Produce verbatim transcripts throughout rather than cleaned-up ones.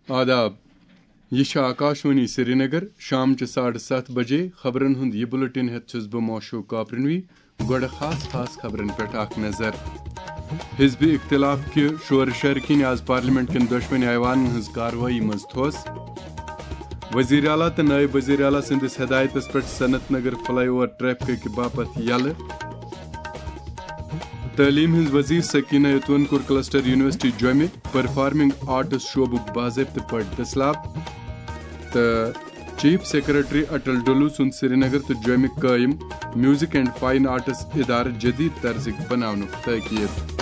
آداب۔ یہِ چھِ آکاشوانی سرینگر۔ شام چہِ ساڑٕ ستھ بجے خبرن ہُنٛد یہِ بُلٹن ہٮ۪تھ چھُس بہٕ موشوق کاپرنوی۔ گۄڈٕ خاص خاص خبرن پٮ۪ٹھ اکھ نظر۔ حزب اختلاف کہِ شورٕ شرٕ کِنۍ آز پارلیمنٹ کٮ۪ن دۄشوٕنی ایوانن ہٕنٛز کاروٲیی منٛز تھوس۔ وزیر اعلیٰ تہٕ نائب وزیر اعلیٰ سٕنٛدِس ہدایتس پٮ۪ٹھ صنعت نگر فلائی اوور ٹریفکہٕ کہِ باپتھ یلہٕ۔ تعلیٖم ہٕنٛز وزیر سکینہ اتون کوٚر کلسٹر یونیورسٹی جوٚمہِ پرفارمنگ آرٹس شعبُک باضٲبطہٕ پٲٹھۍ دٔسلاب۔ تہٕ چیف سیکرٹری اٹل ڈولو سُنٛد سرینگر تہٕ جوٚمہِ قٲیِم میوزک اینڈ فائن آرٹس ادارٕ جدید طرزٕکۍ بناونُک تاکید۔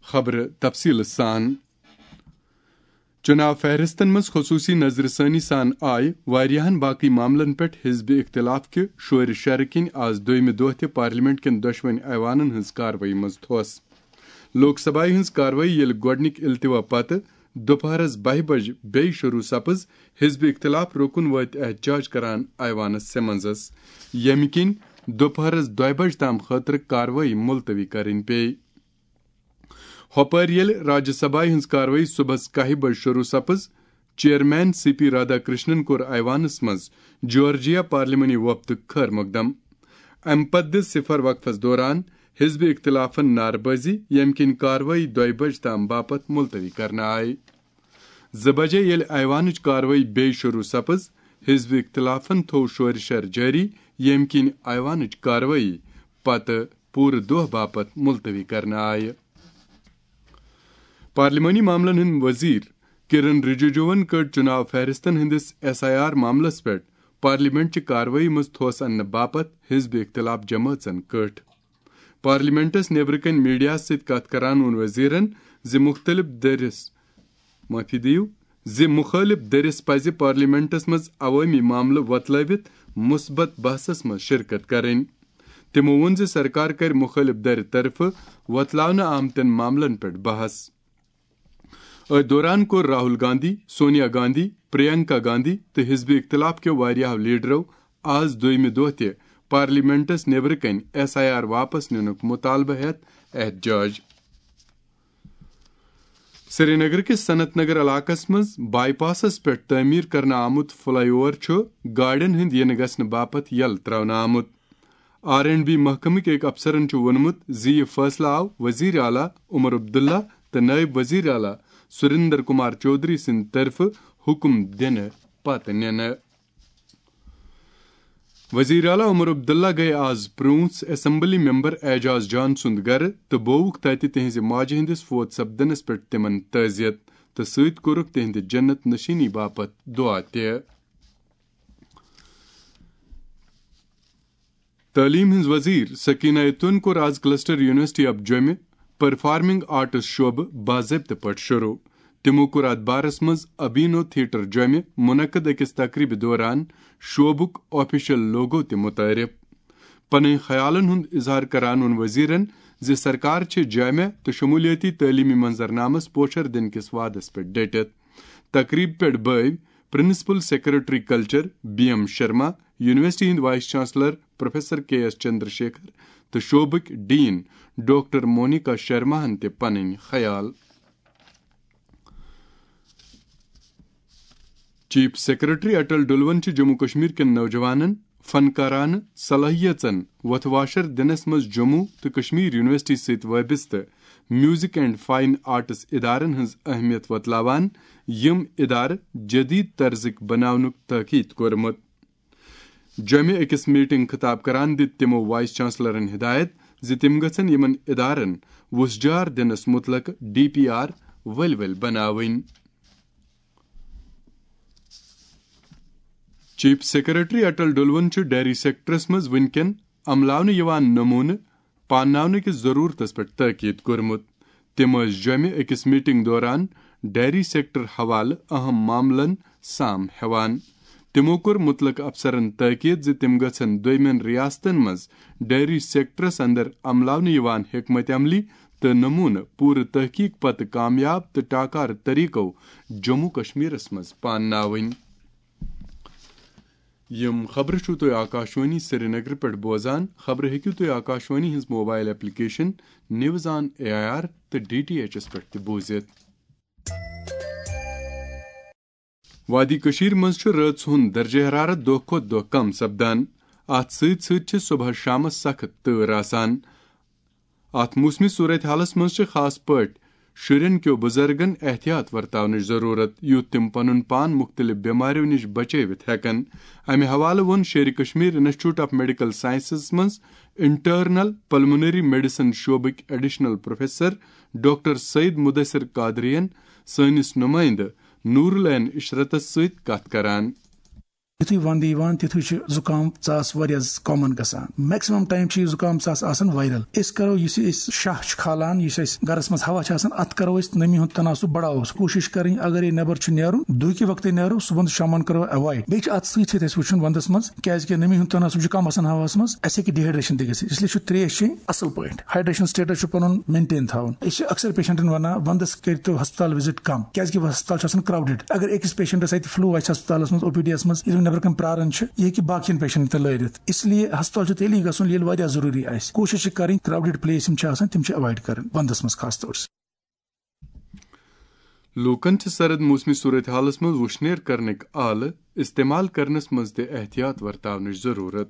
خبرٕ تفصیٖل سان۔ چُناو فہرستن منٛز خصوٗصی نظرِ ثٲنی سان آیہِ واریاہن باقٕے معاملن پٮ۪ٹھ حزب اختلاف کہِ شورِ شرٕ کِنۍ آز دوٚیمہِ دۄہ تہِ پارلیمنٹ کٮ۪ن دۄشوٕنۍ ایوانن ہٕنٛز کاروٲیی منٛز تھوس۔ لوک سبھایہ ہٕنٛز کاروٲیی ییٚلہِ گۄڈٕنِکۍ التوا پتہٕ دُپہرس بَہہِ بجہِ بیٚیہِ شروٗع سپٕز، حزب اختلاف رُکُن وٲتۍ احتجاج کران ایوانس سمنزس، ییٚمہِ کِنۍ دُپہرس دۄیہِ بجہِ تام خٲطرٕ کاروٲیی ملتوی کرٕنۍ پیٚیہِ۔ ہۄپٲرۍ ییٚلہِ راجیہ سبھایہ ہٕنٛز کاروٲیی صُبحس کاہہِ بجہِ شروٗع سپٕز، chairman C P Radhakrishnan کوٚر ایوانس منٛز جارجیا پارلیمانی وفدُک خیر مقدم۔ امہِ پتہٕ دِژ صفر وقفس دوران حزب اختلافن نعرٕ بٲزی، ییٚمہِ کِنۍ کاروٲیی دۄیہِ بجہِ تام باپتھ ملتوی کرنہٕ آیہِ۔ زٕ بجے ییٚلہِ ایوانٕچ کاروٲیی بیٚیہِ شروٗع سپٕز، حزب اختلافن تھوو شورِ شر جٲری، ییٚمہِ کِنۍ ایوانٕچ کاروٲیی پتہٕ پوٗرٕ دۄہ باپتھ ملتوی کرنہٕ آیہِ۔ پارلیمانی معاملن ہٕنٛدۍ وزیر کرن رجیجوَن کٔڈ چُناو فہرستن ہٕنٛدِس ایس آئی آر معاملس پٮ۪ٹھ پارلیمنٹ چہِ کاروٲیی منٛز تھوس اننہٕ باپتھ حزب اختلاف جمٲژن کٔٹھۍ۔ پارلیمنٹس نیبرٕ کنہِ میڈیاہس سۭتۍ کتھ کران ووٚن وزیرن زِ مُختٔلِف دٔرِس، معٲفی دِیِو، زِ مُخٲلِف دٔرِس پزِ پارلیمنٹس منٛز عوٲمی معاملہٕ وۄتلٲوِتھ مثبت بحثس منٛز شرکت کرٕنۍ۔ تِمو ووٚن زِ سرکار کرِ مُخٲلِف دٔرِ طرفہٕ وۄتلاونہٕ آمتٮ۪ن معاملن پٮ۪ٹھ بحث۔ أتھۍ دوران کوٚر راہل گاندھی، سونیا گاندھی، پرینکا گاندھی تہٕ حزب اختلاف کیو واریاہو لیڈرو آز دوٚیمہِ دۄہ تہِ پارلیمنٹس نیبرٕ کنہِ ایس آئی آر واپس نِنُک مطالبہٕ ہٮ۪تھ احتجاج۔ سرینگر کِس صنعت نگر علاقس منٛز بائی پاسس پٮ۪ٹھ تعمیٖر کرنہٕ آمُت فلائی اوور چھُ گاڑٮ۪ن ہٕنٛدۍ یِنہٕ گژھنہٕ باپتھ یلہٕ ترٛاونہٕ آمُت۔ آر اینڈ بی محکمٕکۍ أکۍ افسرن چھُ ووٚنمُت زِ یہِ فٲصلہٕ آو وزیر اعلیٰ عمر عبداللہ تہٕ نائب وزیر اعلیٰ سریندر کمار چودھری سٕنٛدِ طرفہٕ حکم دِنہٕ پتہٕ نِنہٕ۔ وزیر اعلیٰ عمر عبداللہ گٔیہِ آز پرٛونٛژھ اسمبلی ممبر اعجاز جان سُنٛد گرٕ تہٕ بووُکھ تتہِ تِہنٛزِ ماجہِ ہٕنٛدِس فوت سپدنس پٮ۪ٹھ تِمن تعزیت تہٕ سۭتۍ کوٚرُکھ تِہنٛدِ جنت نشیٖنی باپتھ دعا تہِ۔ تعلیٖم ہٕنٛز وزیر سکینہ اتون کوٚر آز کلسٹر یونیورسٹی آف جوٚمہِ پرفارمنگ آرٹس شعبہٕ باضٲبطہٕ پٲٹھۍ شروع۔ تِمو کوٚر اتھ بارس منٛز ابینو تھیٹر جوٚمہِ منعقد أکِس تقریبہِ دوران شعبُک آفیشل لوگو تہِ متعارف۔ پنٕنۍ خیالن ہُنٛد اظہار کران ووٚن وزیرن زِ سرکار چھِ جامع تہٕ شمولیتی تعلیمی منظرنامس پوچھر دِنہٕ کِس وعدس پٮ۪ٹھ ڈٔٹِتھ۔ تقریبہِ پٮ۪ٹھ بٲوۍ principal secretary culture B M Sharma, university ہٕنٛدۍ vice chancellor professor K S Chandrashekhar تہٕ شعبٕکۍ ڈین ڈاکٹر مونیکا شرماہن تہِ پنٕنۍ خیال۔ چیف سیکرٹری اٹل ڈلون چھِ جموں کشمیر کٮ۪ن نوجوانن، فنکارانہٕ صلٲحیژن وۄتھٕ واشر دِنس منٛز جموں تہٕ کشمیر یونیورسٹی سۭتۍ وابستہٕ میوزک اینڈ فائن آرٹس ادارن ہٕنٛز اہمیت وۄتلاوان، یِم ادارٕ جدید طرزٕکۍ بناونُک تاکید کوٚرمُت۔ جوٚمہِ أکِس میٹنگ خطاب کران دِتۍ تِمو وائس چانسلرن ہدایت زِ تِم گژھن یِمن ادارن وُژھ جار دِنس مُتعلق ڈی پی آر ؤلۍ ؤلۍ بناوٕنۍ۔ چیف سیکرٹری اٹل ڈلون چھُ ڈیری سیکٹرس منٛز وٕنکٮ۪ن عملاونہٕ یِوان نمونہٕ پانناونہٕ کِس ضرورتس پٮ۪ٹھ تاکید کوٚرمُت۔ تِم ٲسۍ جوٚمہِ أکِس میٹنگ دوران ڈیری سیکٹر حوالہٕ اہم معاملن سام ہٮ۪وان۔ تِمو کوٚر مُتعلقہٕ افسرن تاکید زِ تِم گژھن دوٚیمٮ۪ن ریاستن منٛز ڈیری سیکٹرس اندر عملاونہٕ یِوان حکمت عملی تہٕ نمونہٕ پوٗرٕ تحقیق پتہٕ کامیاب تہٕ ٹاکار طریقو جموں کشمیرس منٛز پانناوٕنۍ۔ یِم خبرٕ چھِو تُہۍ آکاشوانی سرینگرٕ پٮ۪ٹھ بوزان۔ خبرٕ ہیٚکِو تُہۍ آکاشوانی ہٕنٛز mobile application news on A I R تہٕ ڈی ٹی ایچ ایس پٮ۪ٹھ تہِ بوٗزِتھ۔ وادی کٔشیٖر منٛز چھُ رٲژ ہُنٛد درجہ حرارت دۄہ کھۄتہٕ دۄہ کم سپدان۔ اتھ سۭتۍ سۭتۍ چھِ صبحس شامس سخت تۭر آسان۔ اتھ موسمی صورتحالس منٛز چھِ خاص پٲٹھۍ شُرٮ۪ن کیو بُزرگن احتیاط ورتاونٕچ ضروٗرت، یُتھ تِم پنُن پان مُختٔلِف بٮ۪مارٮ۪و نِش بچٲوِتھ ہٮ۪کن۔ امہِ حوالہٕ ووٚن Sher Kashmir institute of medical sciences منٛز انٹرنل پلمونری میڈیسن شعبٕکۍ additional professor doctor Syed Mudasir قادرین سٲنِس نُمٲیندٕ نور العین عشرتس سۭتۍ کتھ کران۔ یُتھُے وَندٕ یِوان، تِتھُے چھُ زُکام ژاس واریاہ کامن گژھان۔ میکسِمم ٹایم چھُ یہِ زُکام ژاس آسان وائرل۔ أسۍ کرو، یُس یہِ أسۍ شاہ چھِ کھالان، یُس اَسہِ گرس منٛز ہوا چھِ آسان، اَتھ کرو أسۍ نمی ہُنٛد تناسب بڑاوو۔ کوٗشِش کرٕنۍ، اگر یہِ نٮ۪بر چھُ نیرُن، دُہکہِ وقتٕے نیرو، صُبحن تہٕ شامن کرو ایوائڈ۔ بیٚیہِ چھُ اَتھ سۭتۍ سۭتۍ اَسہِ وٕچھُن وَندس منٛز، کیازِ کہِ نمی ہُنٛد تناسب چھُ کم آسان ہواہَس منٛز، اَسہِ ہیٚکہِ ڈیہائیڈریشن تہِ گٔژھِتھ۔ اس لیے چھُ ترٛیش چیٚنۍ اصل پٲٹھۍ۔ ہائیڈریشن سٹیٹس چھُ پنُن مینٹین تھاوُن۔ أسۍ چھِ اکثر پیشنٹن ونان، وندس کٔرِو ہسپتال وزٹ کم، کیازِ کہِ ہسپتال چھُ آسان کراؤڈڈ۔ اگر أکِس پیشنٹس اتہِ فلو آسہِ ہسپتالس منٛز، او پی ڈی یس منٛز، ییٚلہِ نٮ۪برٕ کنہِ پراران چھِ، یہِ ہیٚکہِ باقین پیشنٹن تہِ لٲرِتھ۔ اس لیے ہسپتال چھُ تیٚلی گژھُن، ییٚلہِ واریاہ ضروٗری آسہِ۔ کوٗشش چھِ کرٕنۍ، کراؤڈڈ پلیس یِم چھِ آسان، تِم چھِ ایوائڈ کرٕنۍ وندس منٛز خاص طور سے۔ لوٗکن چھِ سرد موسمی صورتحالس منٛز وُشنیر کرنٕکۍ آلہٕ استعمال کرنس منٛز تہِ احتیاط ورتاونٕچ ضروٗرت۔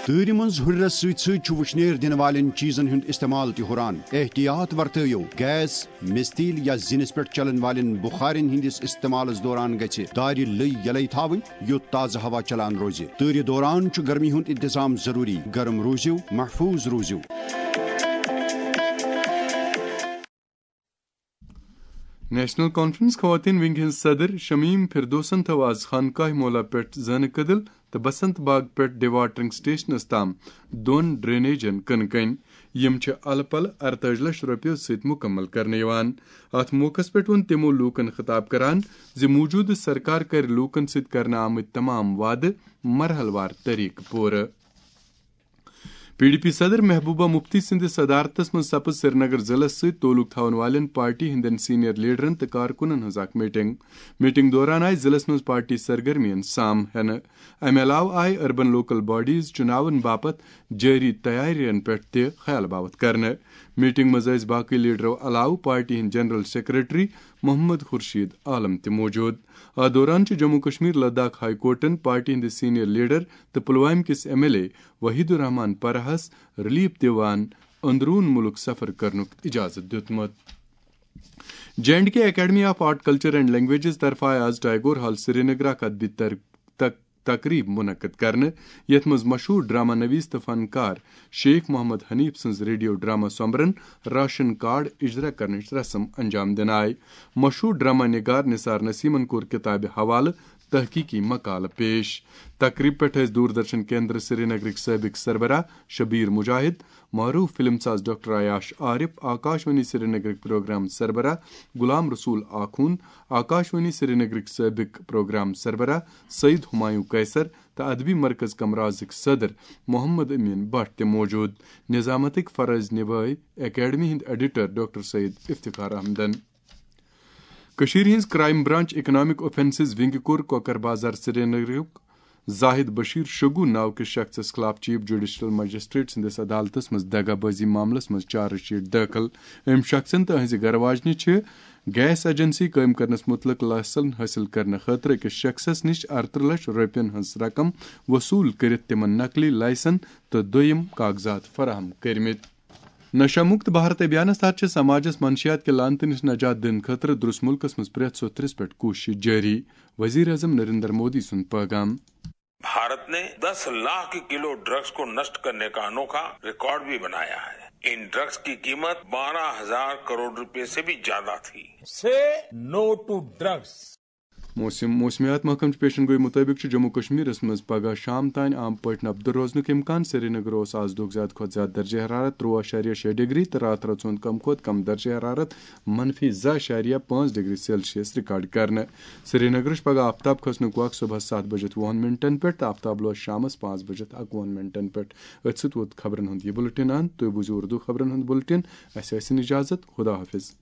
تۭرِ منٛز ہُرٮ۪رس سۭتۍ سۭتۍ چھُ وُشنیر دِنہٕ والٮ۪ن چیٖزن ہُنٛد استعمال تہِ ہُران۔ احتیاط ورتٲیِو، گیس، میٚژِ تیٖل یا زِنِس پٮ۪ٹھ چلن والٮ۪ن بُخارٮ۪ن ہٕنٛدِس استعمالس دوران گژھِ دارِ لٔۍ یلے تھاوٕنۍ، یُتھ تازٕ ہوا چلان روزِ۔ تۭرِ دوران چھُ گرمی ہُنٛد انتظام ضروٗری۔ گرم روٗزِو، محفوٗظ روٗزِو۔ نیشنل کانفرنس خواتین ونگ ہٕنٛز صدر شمیم فردوسن تھٲو آز خانقاہ مولا پٮ۪ٹھ زٲنہٕ کدل تہٕ بسنت باغ پٮ۪ٹھ ڈیواٹرنگ سٹیشنس تام دۄن ڈرینیجن کٕنہٕ کٔنۍ۔ یِم چھِ الہٕ پلہٕ اَرتٲجی لچھ رۄپیو سۭتۍ مُکمل کرنہٕ یِوان۔ اتھ موقعس پٮ۪ٹھ ووٚن تِمو لوٗکن خطاب کران زِ موٗجوٗدٕ سرکار کرِ لوٗکن سۭتۍ کرنہٕ آمٕتۍ تمام وعدٕ مرحلہٕ وار طریقہٕ پوٗرٕ۔ پی ڈی پی صدر محبوبہ مفتی سٕنٛدِس صدارتس منٛز سپٕز سرینگر ضلعس سۭتۍ تعلق تھاون والٮ۪ن پارٹی ہٕنٛدٮ۪ن سینئر لیڈرن تہٕ کارکُنن ہٕنٛز اکھ میٹنگ۔ میٹنگ دوران آیہِ ضلعس منٛز پارٹی سرگرمین سام ہٮ۪نہٕ۔ امہِ علاوٕ آیہِ اربن لوکل باڈیز چُناون باپتھ جٲری تیارین پٮ۪ٹھ تہِ خیال باوتھ کرنہٕ۔ میٹنگ منٛز ٲسۍ باقٕے لیڈرو علاوٕ پارٹی ہٕنٛدۍ جنرل سیکرٹری محمد خورشید عالم تہِ موجود۔ اتھ دوران چھِ جموں کشمیر لداخ ہائی کورٹن پارٹی ہٕنٛدِ سینئر لیڈر تہٕ پلوامہِ کِس M L A Waheed Urrahman پرہس ریلیف دِوان اندرون ملک سفر کرنُک اجازت دیُتمُت۔ J and K academy of art culture and languages طرفہٕ آیہِ آز ٹیگور ہال سرینگر اکھ ادبی تر-، تق-، تقریب منعقد کرنہٕ، یتھ منٛز مشہوٗر ڈرامہ نویس تہٕ فنکار شیخ محمد حنیف سٕنٛز ریڈیو ڈرامہ سۄمبرن راشن کارڈ اجرا کرنٕچ رسم انجام دِنہٕ آیہِ۔ مشہوٗر ڈرامہ نگار نثار نسیمن کوٚر کتابہِ حوالہٕ تحقیقی مقالہٕ پیش۔ تقریب پٮ۪ٹھ ٲسۍ دوردرشن کیندر سرینگرٕکۍ سٲبق سربراہ شبیر مجاہد، معروف فلم ساز ڈاکٹر عیاش عارف، آکاشوانی سرینگرٕکۍ پروگرام سربراہ غلام رسول آخون، آکاشوانی سرینگرٕکۍ سٲبق پروگرام سربراہ سید ہمایوں قیصر تہٕ ادبی مرکز کمرازٕکۍ صدر محمد امین بٹ تہِ موجود۔ نظامتٕکۍ فرٲضۍ نبھٲوۍ اکیڈمی ہٕنٛدۍ ایڈیٹر ڈاکٹر سید افتخار احمدن۔ کٔشیٖرِ ہٕنٛز کرائم برانچ اکنامک اوفینسز ونگہِ کوٚر کوکر بازار سرینگرُک زاہد بشیر شگو ناو کِس شخصس خلاف چیف جوڈیشل مجسٹریٹ سٕنٛدِس عدالتس منٛز دغا بازی معاملس منٛز چارج شیٹ دٲخل۔ أمۍ شخصن تہٕ أہنٛزِ گرٕ واجنہِ چھِ گیس ایجنسی قٲیِم کرنس مُتعلق لائسنس حٲصِل کرنہٕ خٲطرٕ أکِس شخصس نِش ارترٕہ لچھ رۄپین ہٕنٛز رقم وصوٗل کٔرِتھ تِمن نقلی لائسنس تہٕ دوٚیِم کاغذات فراہم کٔرمٕتۍ۔ نشہ مکت بھارت ابھیانس تحت چھِ سماجس منشیات کہِ لعنتہٕ نِش نجات دِنہٕ خٲطرٕ درس ملکس منٛز پرٛٮ۪تھ سوٚتھ ترٛس پٮ۪ٹھ کوٗشش جٲری۔ وزیر اعظم نریندر مودی سُنٛد پیغام۔ भारत ने दस लाख किलो ड्रग्स को नष्ट करने का अनोखा रिकॉर्ड भी बनाया है। इन ड्रग्स की कीमत बारह हजार करोड़ रुपए से भी ज्यादा थी। Say no to drugs. موسم موسمیات محکمہٕ چہِ پیشن گوئی مُطٲبِق چھُ جموں کشمیرس منٛز پگہہ شام تام عام پٲٹھۍ نپدٕ روزنُک امکان۔ سرینگر اوس آز دۄہُک زیادٕ کھۄتہٕ زیادٕ درجہ حرارت ترٛواہ اعشاریہ شےٚ ڈگری تہٕ راتھ رٲژ ہُنٛد کم کھۄتہٕ کم درجہ حرارت منفی زٕ اعشاریہ پانٛژھ ڈگری سیلسیس ریکارڈ کرنہٕ۔ سرینگرٕچ پگہہ آفتاب کھسنُک وق صبحس ستھ بجے وُہن منٹن پٮ۪ٹھ تہٕ آفتاب لوس شامس پانٛژھ بجے اکوُہن منٹن پٮ۪ٹھ۔ أتھۍ سۭتۍ ووت خبرن ہُنٛد یہِ بُلٹن اند۔ تُہۍ بوٗزِو اردو خبرن ہُنٛد بُلٹن۔ اسہِ ٲسِن اجازت۔ خدا حافظ۔